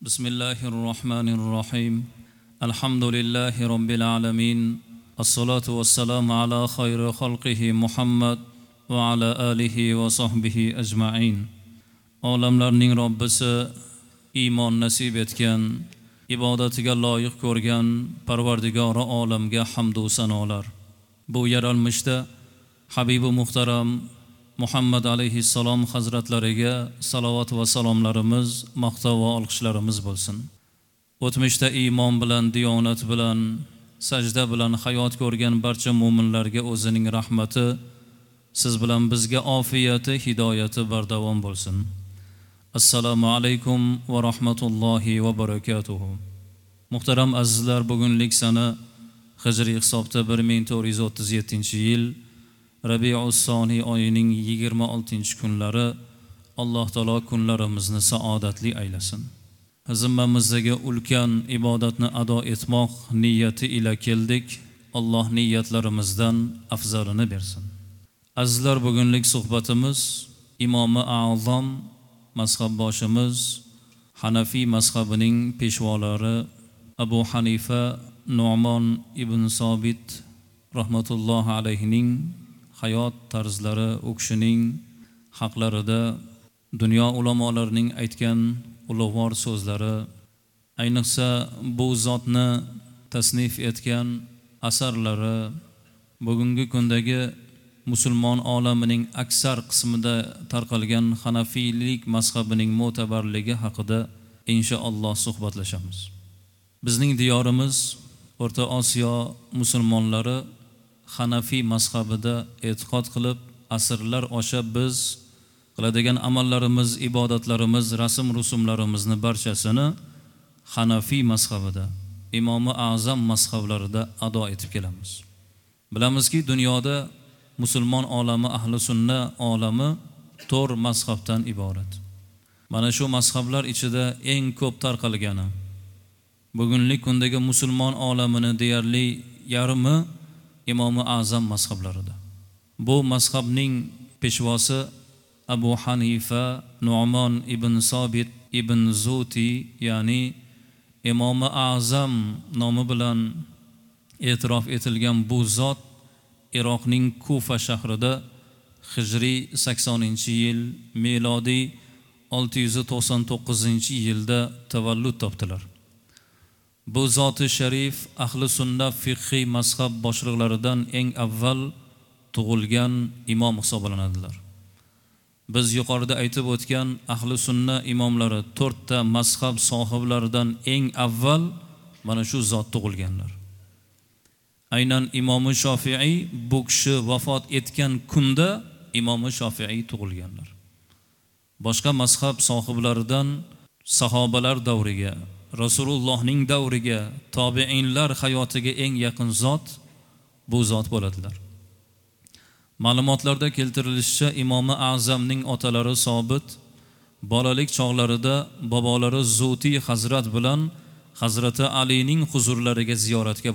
Bismillahir rohmanir rohim. Alhamdulillahi robbil alamin. As-salatu was-salamu ala khayri xalqihi Muhammad va ala alihi va sahbihi ajma'in. Olamlarning Robbisi iymon nasib etgan, ibodatiga loyiq ko'rgan Parvardigori olamga hamd va sanolar. Bu yaralmishda Habibi muhtaram Muhammad alayhissalom hazratlariga salovat va salomlarimiz, maqtov va olqishlarimiz bo'lsin. O'tmishda iymon bilan, diyonat bilan, sajda bilan hayot ko'rgan barcha mo'minlarga o'zining rahmati, siz bilan bizga ofiyati, hidoyati bardavom bo'lsin. Assalomu alaykum va rahmatullohi va barakatuhu. Muhtaram azizlar, bugunlik sana hijriy hisobda 1437-yil Rabiul Soniy oyining 26-kunlari. Alloh taolo kunlarimizni saodatli aylasin. Zimmamizdagi ulkan ibodatni ado etmoq niyati ila keldik. Alloh niyatlarimizdan afzalini bersin. Azizlar, bugunlik suhbatimiz Imomi A'zam mazhabboshimiz Hanafiy mazhabining peshvolari Abu Hanifa Nu'mon ibn Sobit rahmatullohi alayhining hayot tarzlari, u kishining haqlarida dunyo ulamolarining aytgan ulug'vor so'zlari, ayniqsa bu zotni tasnif etgan asarlari bugungi kundagi musulmon olamining aksar qismida tarqalgan Hanafiylik mazhabining mo'tabarligi haqida inshaalloh suhbatlashamiz. Bizning diyorimiz O'rta Osiyo musulmonlari Hanafiy mazhabida e'tiqod qilib, asrlar osha biz qiladigan amallarimiz, ibodatlarimiz, rasm rusumlarimizni barchasini Hanafiy mazhabida, Imomi A'zam mazhablarida ado etib kelamiz. Bilamizki, dunyoda musulmon olami, ahli sunna olami to'rt mazhabdan iborat. Mana shu mazhablar ichida eng ko'p tarqalgani, bugungi kundagi musulmon olamini deyarli yarmi Imomi A'zam mazhablarida. Bu mazhabning peshvosi Abu Hanifa Nu'mon ibn Sobit ibn Zuti, ya'ni Imomi A'zam nomi bilan e'tirof etilgan bu zot Iroqning Kufa shahrida hijriy 80-yil, milodiy 699-yilda tavallud topdilar. Bu zoti sharif ahli sunna fiqhiy mazhab boshliqlaridan eng avval tug'ilgan imom hisoblanadilar. Biz yuqorida aytib o'tgan ahli sunna imomlari to'rtta mazhab sohiblaridan eng avval mana shu zot tug'ilganlar. Aynan Imomi Shofiiy bu kishi vafot etgan kunda Imomi Shofiiy tug'ilganlar. Boshqa mazhab sohiblaridan sahobalar davriga, Rasulullohning davriga, tobiinlar hayotiga eng yaqin zot bu zot bo'ladilar. Ma'lumotlarda keltirilishicha, Imomi A'zamning otalari Sobit bolalik chog'larida bobolari Zuti hazrat bilan Hazrati Alining huzurlariga ziyoratga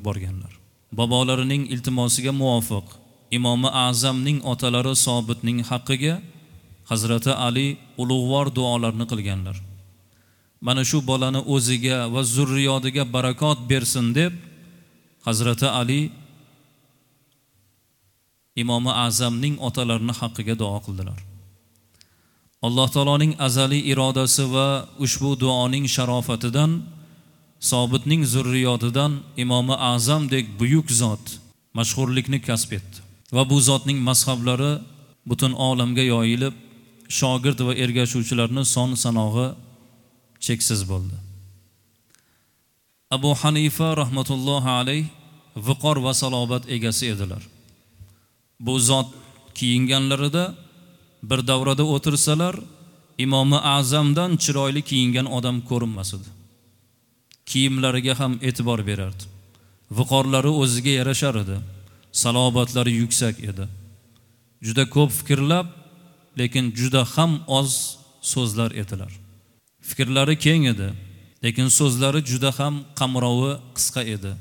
borganlar. Bobolarining iltimosiga muvofiq Imomi A'zamning otalari Sobitning haqqiga Hazrati Ali ulug'vor duolarni qilganlar. Mana shu bolani o'ziga va zurriyodiga barakot bersin deb Hazrati Ali Imomi A'zamning otalarini haqqiga duo qildilar. Alloh taoloning azaliy irodasi va ushbu duoning sharofatidan Sobitning zurriyodidan Imomi A'zamdek buyuk zot mashhurlikni kasb etdi va bu zotning mazhablari butun olamga yoyilib, shogird va ergashuvchilarning son sanog'i cheksiz bo'ldi. Abu Hanifa rahmatullohi alayh viqor va salobat egasi edilar. Bu zot kiyinganlarida bir davrada o'tirsalar, Imomi A'zamdan chiroyli kiyingan odam ko'rinmas edi. Kiyimlariga ham e'tibor berardi. Viqorlari o'ziga yarashar edi. Salobatlari yuksak edi. Juda ko'p fikrlab, lekin juda ham oz so'zlar edilar. Fikrlari keng edi, lekin so'zlari juda ham qamrovi qisqa edi.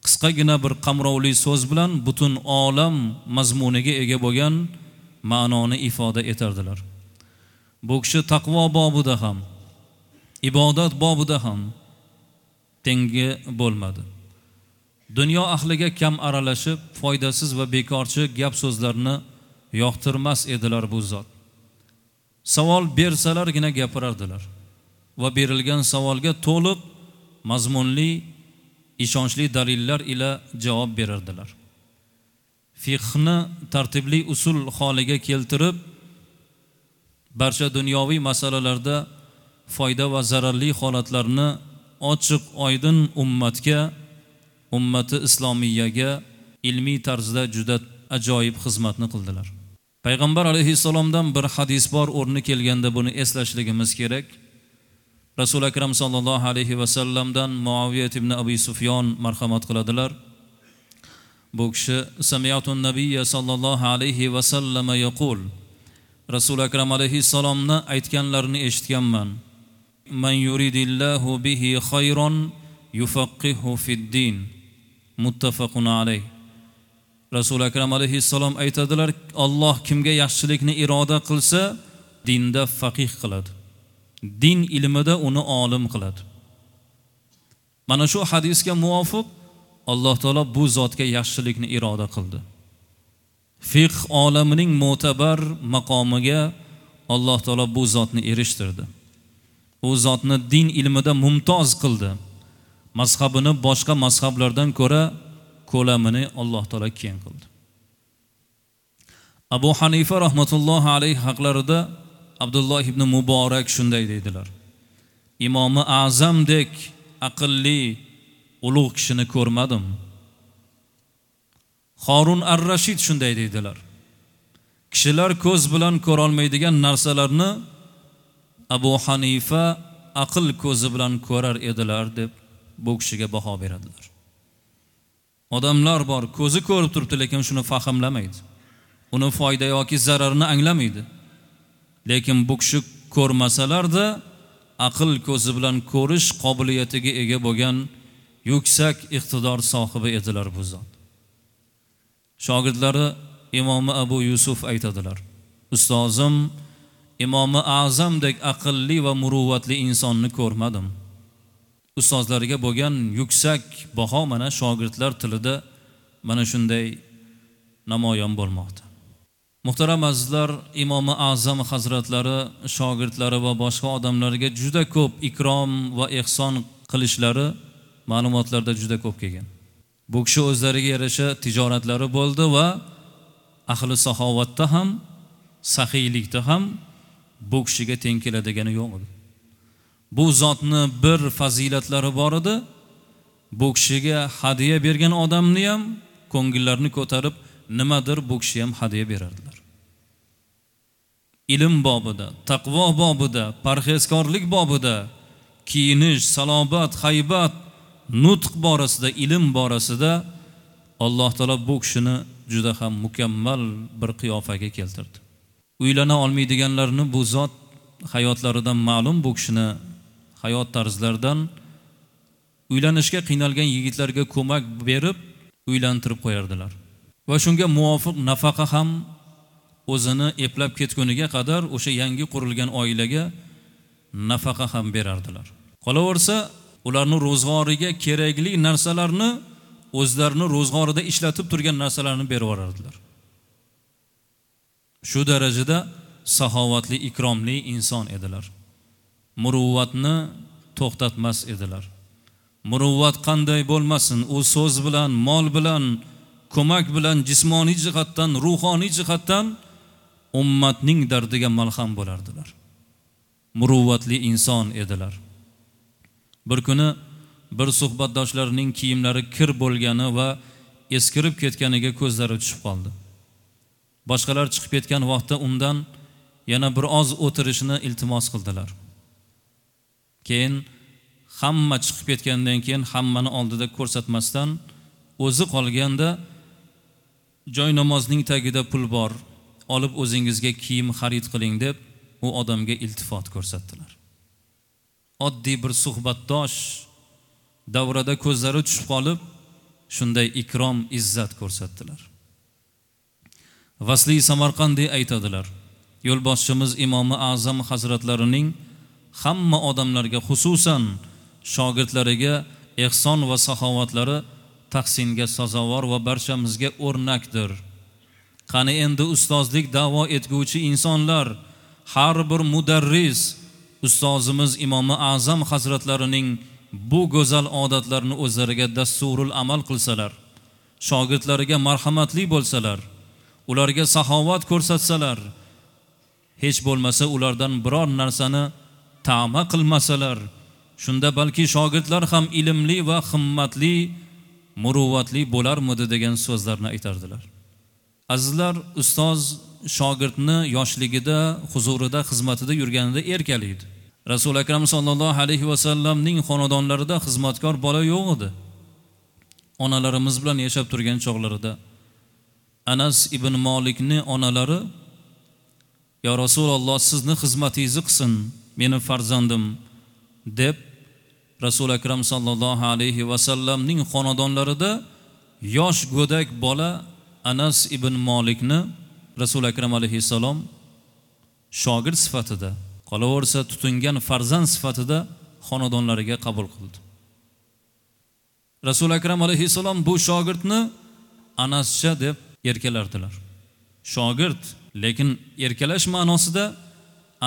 Qisqagina bir qamrovli so'z bilan butun olam mazmuniga ega bo'lgan ma'noni ifoda etardilar. Bu kishi taqvo bobida ham, Ibodat bobida ham tengi bo'lmadi. Dunyo ahliga kam aralashib, foydasiz va bekorchi gap so'zlarni yoqtirmas edilar bu zot. Savol bersalargina gapirardilar va berilgan savolga to'liq, mazmunli, ishonchli dalillar ila javob berardilar. Fiqhni tartibli usul holiga keltirib, barcha dunyoviy masalalarda foyda va zararli holatlarni ochiq oydin ummatga, ummati islomiyaga ilmiy tarzda juda ajoyib xizmatni qildilar. Payg'ambar alayhissalomdan bir hadis bor, o'rni kelganda buni eslashligimiz kerak. Rasul akram sallallohu alayhi va sallamdan Muaviyat ibn Abi Sufyon marhamat qiladilar. Bu kishi sami'atun nabiyya sallallohu alayhi va sallam yaqul, Rasul akram alayhissalomni aytganlarini eshitganman. Man yuridillahu bihi khayran yufaqqihu fid-din. Muttafaqun alayh. Rasul akram alayhissalom aytadilar, Alloh kimga yaxshilikni iroda qilsa, dinda faqih qiladi. Din ilmida uni olim qiladi. Mana shu hadisga muvofiq Alloh taolo bu zotga yaxshilikni iroda qildi. Fiqh olamining mo'tabar maqomiga Alloh taolo bu zotni erishtirdi. U zotni din ilmida mumtoz qildi. Mazhabini boshqa mazhablardan ko'ra ko'lamini Alloh taolo keng qildi. Abu Hanifa rahmatullohi alayhi haqlarida Abdulloh ibn Muborak shunday deydilar: Imomi A'zamdek aqlli, ulug' kishini ko'rmadim. Harun ar-Rashid shunday deydilar: Kishilar ko'z bilan ko'ra olmaydigan narsalarni Abu Hanifa aql ko'zi bilan ko'rar edilar deb bu kishiga baho beradilar. Odamlar bor, ko'zi ko'rib turibdi, lekin shuni fahmlamaydi. Uni foyda yoki zararini anglamaydi. Lekin bu kishi ko'rmasalar-da aql ko'zi bilan ko'rish qobiliyatiga ega bo'lgan yuksak iqtidor sohibi edilar bu zot. Shogirdlari Imomi Abu Yusuf aytadilar: Ustozim Imomi A'zamdek aqlli va muruvvatli insonni ko'rmadim. Ustozlariga bo'lgan yuksak baho mana shogirdlar tilida mana shunday namoyon bo'lmoqda. Muhtaram azizlar, Imomi A'zam hazratlari shogirdlari va boshqa odamlarga juda ko'p ikrom va ehson qilishlari ma'lumotlarda juda ko'p kelgan. Bu kishi o'zlariga yarasha tijoratlari bo'ldi va ahli saxovatda ham, saxiylikda ham bu kishiga teng keladigani yo'q edi. Bu zotni bir fazilatlari bor edi. Bu kishiga hadiya bergan odamni ham ko'ngillarini ko'tarib, nimadir bu kishi ham hadiya berardilar. Ilm bobida, taqvo bobida, parhezkorlik bobida, kiyinish, salobat, haybat, nutq borasida, ilm borasida Alloh taolo bu kishini juda ham mukammal bir qiyofaga keltirdi. Uylana olmaydiganlarni bu zot hayotlaridan ma'lum, bu kishini hayot tarzlaridan uylanishga qiynalgan yigitlarga ko'mak berib uylantirib qo'yardilar. Va shunga muvofiq nafaqa ham o'zini eplab ketguniga qadar o'sha yangi qurilgan oilaga nafaqa ham berardilar. Qolaversa, ularning ro'zg'origa kerakli narsalarni o'zlarini ro'zg'orida ishlatib turgan narsalarni berib yuborardilar. Shu darajada saxovatli, ikromli inson edilar. Muruvvatni to'xtatmas edilar. Muruvvat qanday bo'lmasin, u so'z bilan, mol bilan, ko'mak bilan, jismoniy jihatdan, ruhoniy jihatdan ummatning dardiga malham bo'lardilar. Muruvvatli inson edilar. Bir kuni bir suhbatdoshlarining kiyimlari kir bo'lgani va eskirib ketganiga ko'zlari tushib qoldi. Boshqalar chiqib ketgan vaqtda undan yana bir oz o'tirishini iltimos qildilar. Keyin hamma chiqib ketgandan keyin hammani oldida ko'rsatmasdan o'zi qolganda joy namozning tagida pul bor, olib o'zingizga kiyim xarid qiling deb u odamga iltifot ko'rsatdilar. Oddiy bir suhbatdosh davrada ko'zlari tushib qolib, shunday ikrom, izzat ko'rsatdilar. Vasli Samarqandiy aytadilar: Yo'lboshchimiz Imomi A'zam hazratlarining hamma odamlarga, xususan shogirdlariga ehson va saxovatlari tahsinga sazovor va barchamizga o'rnakdir. Qani endi ustozlik da'vo etguvchi insonlar, har bir mudarris ustozimiz Imomi A'zam hazratlarining bu go'zal odatlarini o'zlariga dasturul amal qilsalar, shogirdlariga marhamatli bo'lsalar, ularga saxovat ko'rsatsalar, hech bo'lmasa ulardan biror narsani ta'ma qilmasalar, shunda balki shogirdlar ham ilmli va himmatli, muruvvatli bo'larmidi degan so'zlarni aytardilar. Azizlar, ustoz shogirdni yoshligida, huzurida, xizmatida yurganida erkalaydi. Rasul Akram sallallohu alayhi va sallamning xonadonlarida xizmatkor bola yo'q edi. Onalarimiz bilan yashab turgan chog'larida Anas ibn Malikni onalari, "Ya Rasululloh, sizni xizmatingizni qilsin, meni farzandim" deb Rasul Akram sallallohu alayhi va sallamning xonadonlarida yosh go'dak bola Anas ibn Malikni Rasul Akram alayhissalom shogird sifatida, qolaversa tutingan farzand sifatida xonadonlariga qabul qildi. Rasul Akram alayhissalom bu shogirdni Anascha deb erkalardilar. Shogird, lekin erkalash ma'nosida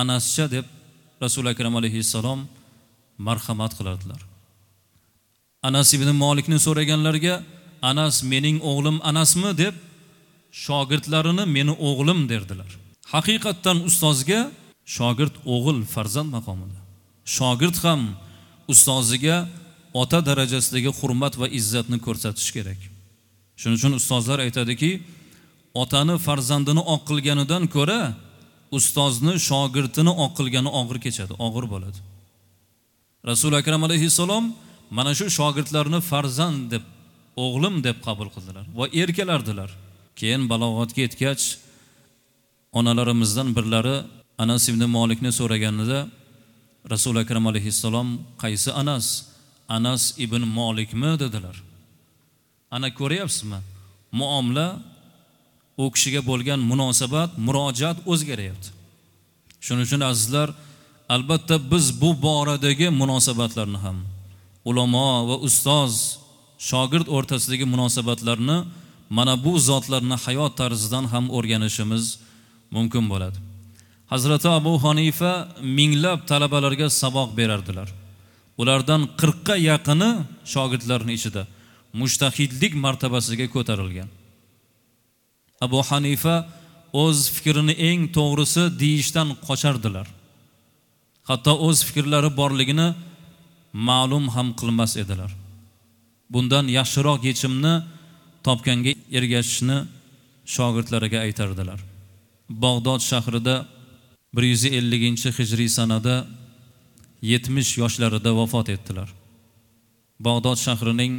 Anascha deb Rasul Akram alayhissalom marhamat qilardilar. Anas ibn Malikni so'raganlarga, "Anas mening o'g'lim Anasmi?" deb shogirdlarini meni o'g'lim derdilar. Haqiqatdan ustozga shogird o'g'il farzand maqomida. Shogird ham ustoziga ota darajasidagi hurmat va izzatni ko'rsatish kerak. Shuning uchun ustozlar aytadiki, otani farzandini oq qilganidan ko'ra ustozni shogirdini oq qilgani og'ir kechadi, og'ir bo'ladi. Rasul Akram alayhissalom mana shu shogirdlarni farzand deb, o'g'lim deb qabul qildilar va erkalardilar. Keyin balog'atga yetgach onalarimizdan birlari Anas ibn Malikni so'raganida Rasul Akram alayhissalom qaysi Anas? Anas ibn Malikmi dedilar. Ana ko'ryapsizmi? Muomala, u kishiga bo'lgan munosabat, murojaat o'zgaryapti. Shuning uchun azizlar, albatta biz bu boradagi munosabatlarni ham, ulamo va ustoz, shogird o'rtasidagi munosabatlarni mana bu zotlarni hayot tarzidan ham o'rganishimiz mumkin bo'ladi. Hazrati Abu Hanifa minglab talabalarga saboq berardilar. Ulardan 40 ga yaqini shogirdlarning ichida mujtahidlik martabasiga ko'tarilgan. Abu Hanifa o'z fikrini eng to'g'risi deyishdan qochardilar. Hatto o'z fikrlari borligini ma'lum ham qilmas edilar. Bundan yaxshiroq yechimni topganga ergashishni shogirdlariga aytardilar. Bag'dod shahrida 150-hijriy sanada 70 yoshlarida vafot etdilar. Bag'dod shahrining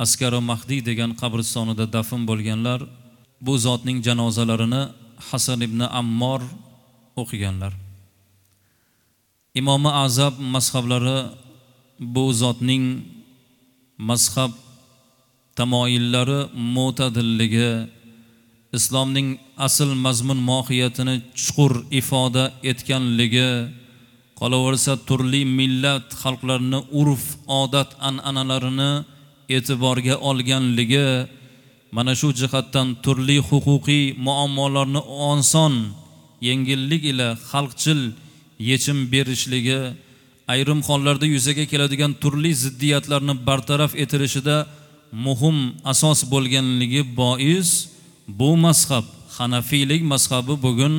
Askari Mahdi degan qabristonida dafn bo'lganlar. Bu zotning janozalarini Hasan ibn Ammor o'qiganlar. Imomi Azab mazhablari bu zotning mazhab tamoyillari mo'tadilligi, islomning asl mazmun mohiyatini chuqur ifoda etganligi, qolaversa turli millat xalqlarini urf, odat, an'analarini e'tiborga olganligi, mana shu jihatdan turli huquqiy muammolarni oson, yengillik ila xalqchil yechim berishligi, ayrim hollarda yuzaga keladigan turli ziddiyatlarni bartaraf etilishida muhim asos bo'lganligi bois bu mazhab, Hanafiylik mazhabi bugun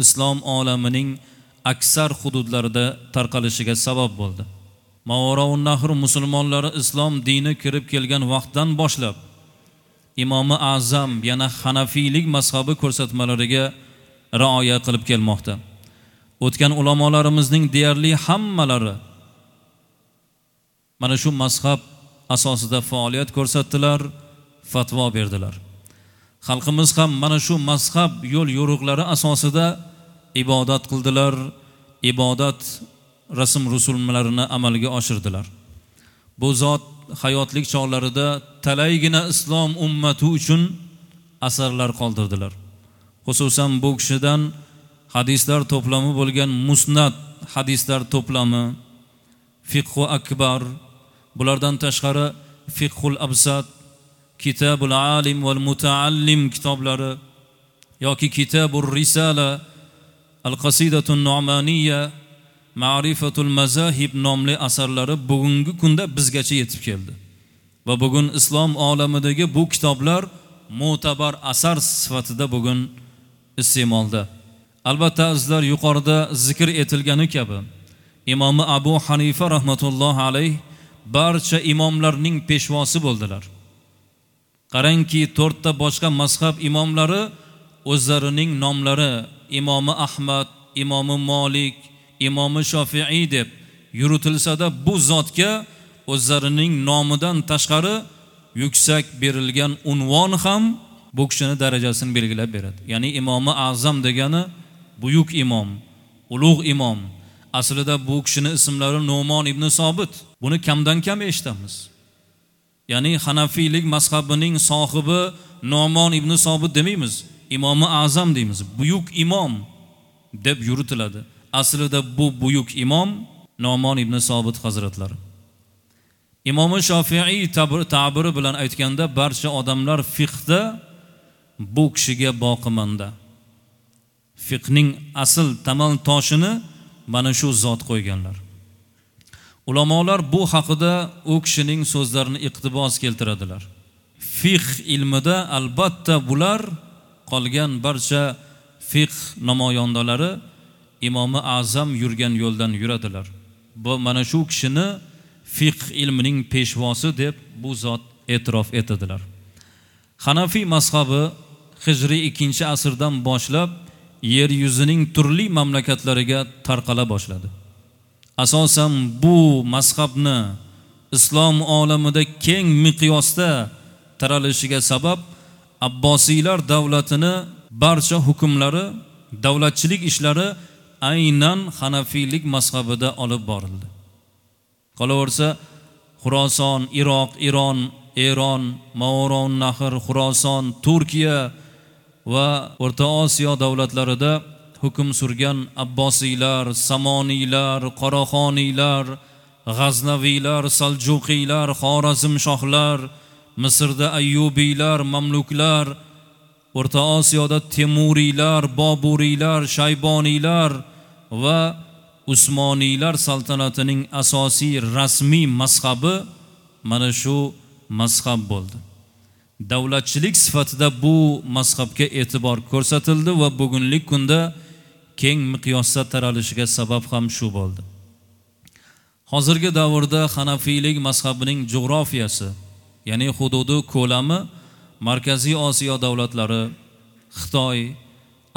islom olamining aksar hududlarida tarqalishiga sabab bo'ldi. Mavaraun Nahr musulmonlari islom dini kirib kelgan vaqtdan boshlab Imomi Azam yana Hanafiylik mazhabi ko'rsatmalariga rioya qilib kelmoqda. O'tgan ulamolarimizning deyarli hammalari mana shu mazhab asosida faoliyat ko'rsatdilar, fatvo berdilar. Xalqimiz ham mana shu mazhab yo'l yo'riqlari asosida ibodat qildilar, ibodat rasm rusumlarini amalga oshirdilar. Bu zot hayotlik chog'larida talaygina islom ummati uchun asarlar qoldirdilar. Xususan bu kishidan hadislar to'plami bo'lgan Musnad hadislar to'plami, Fiqhu Akbar, bulardan tashqari Fiqhul Absat, Kitabul Alim val Mutaallim kitoblari yoki Kitabur Risala, Al-Qasidatun Nu'maniyya, Ma'rifatul Mazahib nomli asarlari bugungi kunda bizgacha yetib keldi. Va bugun islom olamidagi bu kitoblar mo'tabar asar sifatida bugun iste'molda. Albatta azizlar, yuqorida zikr etilgani kabi Imomi Abu Hanifa rahmatullohi alayh barcha imomlarning peshvosi bo'ldilar. Qarangki, to'rtta boshqa mazhab imomlari o'zlarining nomlari Imomi Ahmad, Imomi Malik, Imomi Shofiiy deb yuritilsa-da, bu zotga o'zlarining nomidan tashqari yuksak berilgan unvon ham bu kishining darajasini belgilab beradi. Ya'ni Imomi Azam degani buyuk imom, ulug' imom. Aslida bu kishining ismlari Nu'mon ibn Sobit. Buni kamdan kam eshitamiz. Ya'ni Hanafiylik mazhabining sohibi Nu'mon ibn Sobit demaymiz, Imomi Azam deymiz. Buyuk imom deb yuritiladi. Aslida bu buyuk imom Nu'mon ibn Sobit hazratlari. Imomi Shofiiy ta'biri bilan aytganda, barcha odamlar fiqhda bu kishiga boqimanda. Fiqhning asl tamal toshini mana shu zot qo'yganlar. Ulamolar bu haqida u kishining so'zlarini iqtibos keltiradilar. Fiqh ilmida albatta bular qolgan barcha fiqh namoyandalari Imomi Azam yurgan yo'ldan yuradilar. Bu mana shu kishini fiqh ilmining peshvosi deb bu zot e'tirof etadilar. Hanafiy mazhabi Hijriy 2-asrdan boshlab yer yuzining turli mamlakatlariga tarqala boshladi. Asosan bu mazhabni islom olamida keng miqyosda taralishiga sabab Abbosiylar davlatini barcha hukmlari, davlatchilik ishlari aynan Hanafiylik mazhabida olib borildi. Qolaversa, Xuroson, Iroq, Iron, Eron, Mavron Nahr, Xuroson, Turkiya va O'rta Osiyo davlatlarida hukm surgan Abbosiylar, Samoniylar, Qoraxoniylar, G'aznaviylar, Saljuqiylar, Xorazmshohlar, Misrda Ayyubiylar, Mamluklar, O'rta Osiyoda Temuriylar, Boburiylar, Shayboniylar va Usmoniylar saltanatining asosiy rasmiy mazhabi mana shu mazhab bo'ldi. Davlatchilik sifatida bu mazhabga e'tibor ko'rsatildi va bugungi kunda keng miqyosda taralishiga sabab ham shu bo'ldi. Hozirgi davrda Hanafiylik mazhabining jo'grafiyasi, ya'ni hududi ko'lami Markaziy Osiyo davlatlari, Xitoy,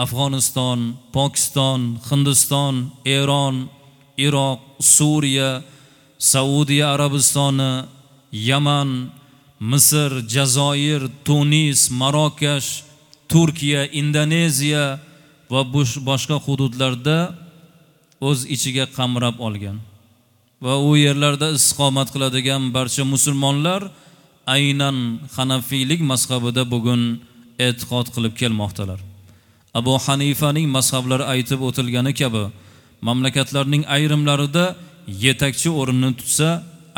Afg'oniston, Pokiston, Hindiston, Eron, Iroq, Suriya, Saudiya Arabistoni, Yaman, Misr, Jazoir, Tunis, Marokash, Turkiya, Indoneziya va boshqa hududlarda o'z ichiga qamrab olgan va u yerlarda istiqomat qiladigan barcha musulmonlar aynan Hanafiylik mazhabida bugun e'tiqod qilib kelmoqdalar. Abu Hanifaning mazhablari aytib o'tilgani kabi mamlakatlarning ayrimlarida yetakchi o'rinni tutsa,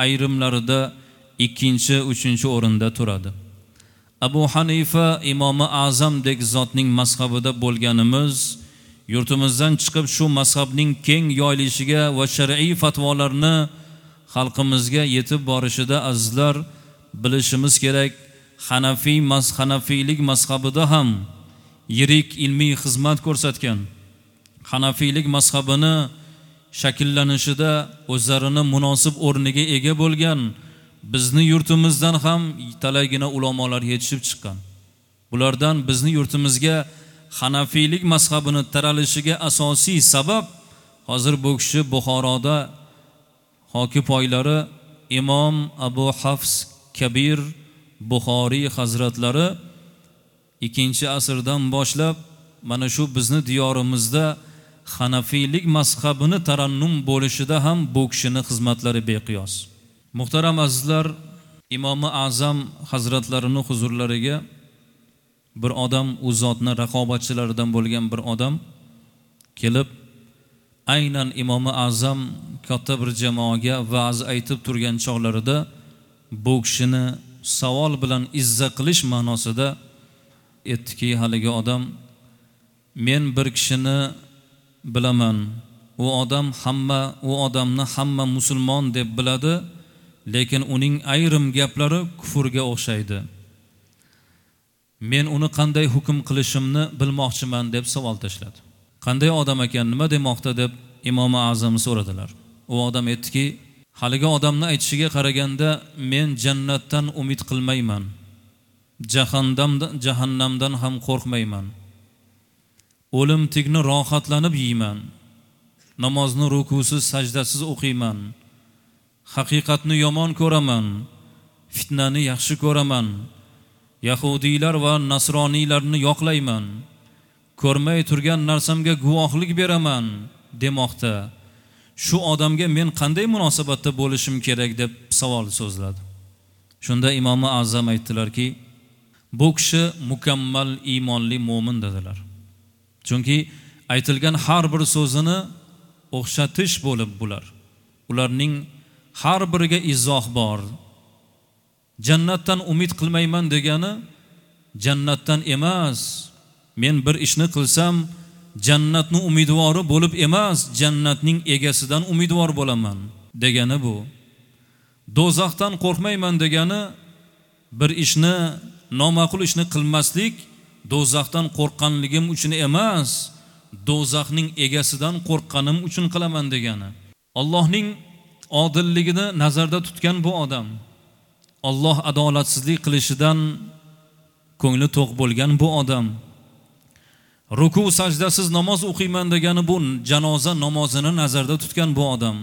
ayrimlarida ikkinchi, uchinchi o'rinda turadi. Abu Hanifa Imomi Azamdek zotning mazhabida bo'lganimiz, yurtimizdan chiqib shu mazhabning keng yoyilishiga va shar'iy fatvolarni xalqimizga yetib borishida azizlar bilishimiz kerak, Hanafiylik mazhabida ham yirik ilmiy xizmat ko'rsatgan, Hanafiylik mazhabini shakllanishida o'zlarini munosib o'rniga ega bo'lgan bizni yurtimizdan ham talaygina ulamolar yetishib chiqqan. Bulardan bizni yurtimizga Hanafiylik mazhabini taralishiga asosiy sabab hozir bu kishi Buxoroda hoki poylari Imom Abu Hafs Kabir Buxoriy hazratlari 2-asrdan boshlab mana shu bizni diyorimizda Hanafiylik mazhabini tarannum bo'lishida ham bu kishining xizmatlari beqiyos. Muhtaram azizlar, Imomi Azam hazratlarining huzurlariga bir odam, u zotni raqobatchilaridan bo'lgan bir odam kelib, Aynan Imomi A'zam katta bir jamoaga va'z aytib turgan chog'larida bu kishini savol bilan izza qilish ma'nosida aytdiki, haligi odam: men bir kishini bilaman, u odamni hamma musulmon deb biladi, lekin uning ayrim gaplari kufrga o'xshaydi. Men uni qanday hukm qilishimni bilmoqchiman, deb savol tashladi. Qanday odam ekan, nima demoqda, deb Imomi A'zam so'radilar. U odam aytdiki, haligi odamni aytishiga qaraganda men jannatdan umid qilmayman, jahannamdan ham qo'rqmayman, o'limtikni rohatlanib yeyman, namozni rukusiz, sajdasiz o'qiyman, haqiqatni yomon ko'raman, fitnani yaxshi ko'raman, yahudiylar va nasroniylarni yoqlayman, ko'rmay turgan narsamga guvohlik beraman, demoqda. Shu odamga men qanday munosabatda bo'lishim kerak, deb savol so'zladi. Shunda Imomi A'zam aytdilarki, bu kishi mukammal iymonli mo'min, dedilar. Chunki aytilgan har bir so'zini o'xshatish bo'lib bular. Ularning har biriga izoh bor. Jannatdan umid qilmayman degani jannatdan emas, men bir ishni qilsam jannatni umidvori bo'lib emas, jannatning egasidan umidvor bo'laman degani bu. Do'zaxdan qo'rqmayman degani bir ishni, noma'qul ishni qilmaslik do'zaxdan qo'rqqanligim uchun emas, do'zaxning egasidan qo'rqqanim uchun qilaman degani. Allohning odilligini nazarda tutgan bu odam, Alloh adolatsizlik qilishidan ko'ngli to'q bo'lgan bu odam, ruku sajdasiz namoz o'qiyman degani bu janoza namozini nazarda tutgan bu odam,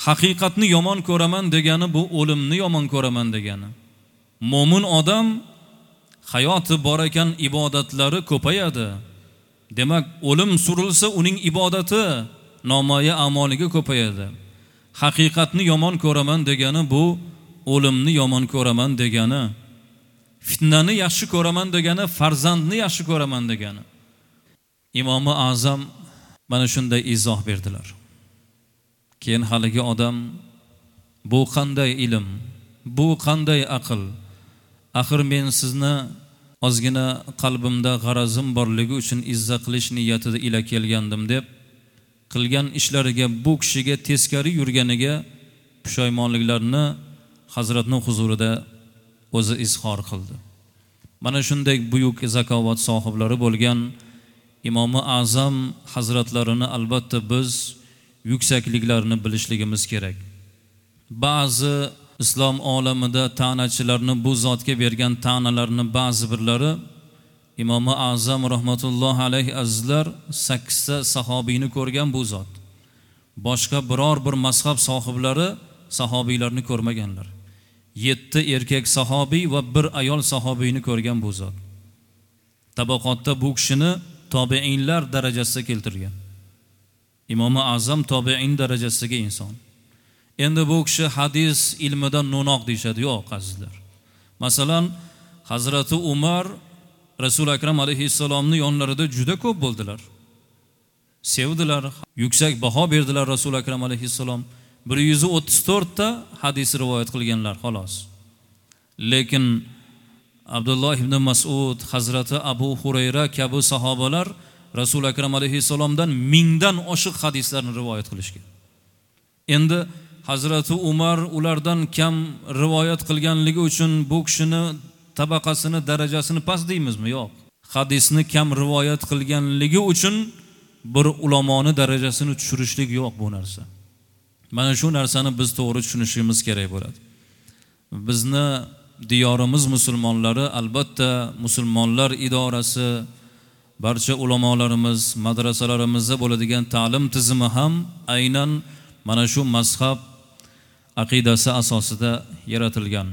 haqiqatni yomon ko'raman degani bu o'limni yomon ko'raman degani. Mo'min odam hayoti bor ekan ibodatlari ko'payadi. Demak, o'lim surilsa uning ibodati, nomoya amoliga ko'payadi. Haqiqatni yomon ko'raman degani bu o'limni yomon ko'raman degani. Fitnani yaxshi ko'raman degani, farzandni yaxshi ko'raman degani. Imomi A'zam mana shunday izoh berdilar. Keyin haligi odam: bu qanday ilm, bu qanday aql? Axir men sizni ozgina qalbimda g'arazim borligi uchun izza qilish niyatida ila kelgandim, deb qilgan ishlariga, bu kishiga teskari yurganiga pushaymonliklarni hazratning huzurida o'zi izhor qildi. Mana shunday buyuk zakovat sohiblari bo'lgan Imomi A'zam hazratlarini albatta biz yuksakliklarini bilishligimiz kerak. Ba'zi islom olamida ta'nachilarni bu zotga bergan ta'nalarni ba'zi birlari Imomi A'zam rahmatullohi alayhi azizlar 8 ta sahobiyni ko'rgan bu zot. Boshqa biror bir mazhab sohiblari sahobiylarni ko'rmaganlar. 7 erkak sahobiy va 1 ayol sahobiyni ko'rgan bu zot. Tabaqotda bu kishini tobiinlar darajasida keltirgan. Imomi A'zam tobiin darajasidagi inson. Endi bu kishi hadis ilmidan no'noq deyishadi. Yo'q, azizlar. Masalan, Hazrati Umar Rasul Akram alayhissalomning yonlarida juda ko'p bo'ldilar. Sevdilar, yuksak baho berdilar Rasul Akram alayhissalom. 134 ta hadis rivoyat qilganlar xolos. Lekin Abdulloh ibn Mas'ud, Hazrati Abu Hurayra kabi sahobalar Rasul Akram alayhissalomdan 1000 dan oshiq hadislarni rivoyat qilishgan. Endi Hazrati Umar ulardan kam rivoyat qilganligi uchun bu kishini tabaqasini, darajasini past deymizmi? Yo'q. Hadisni kam rivoyat qilganligi uchun bir ulamoni darajasini tushirishlik yo'q bu narsa. Mana shu narsani biz to'g'ri tushunishimiz kerak bo'ladi. Bizni diyorimiz musulmonlari albatta musulmonlar idorasi, barcha ulamolarimiz, madrasalarimizda bo'ladigan ta'lim tizimi ham aynan mana shu mazhab aqidasi asosida yaratilgan.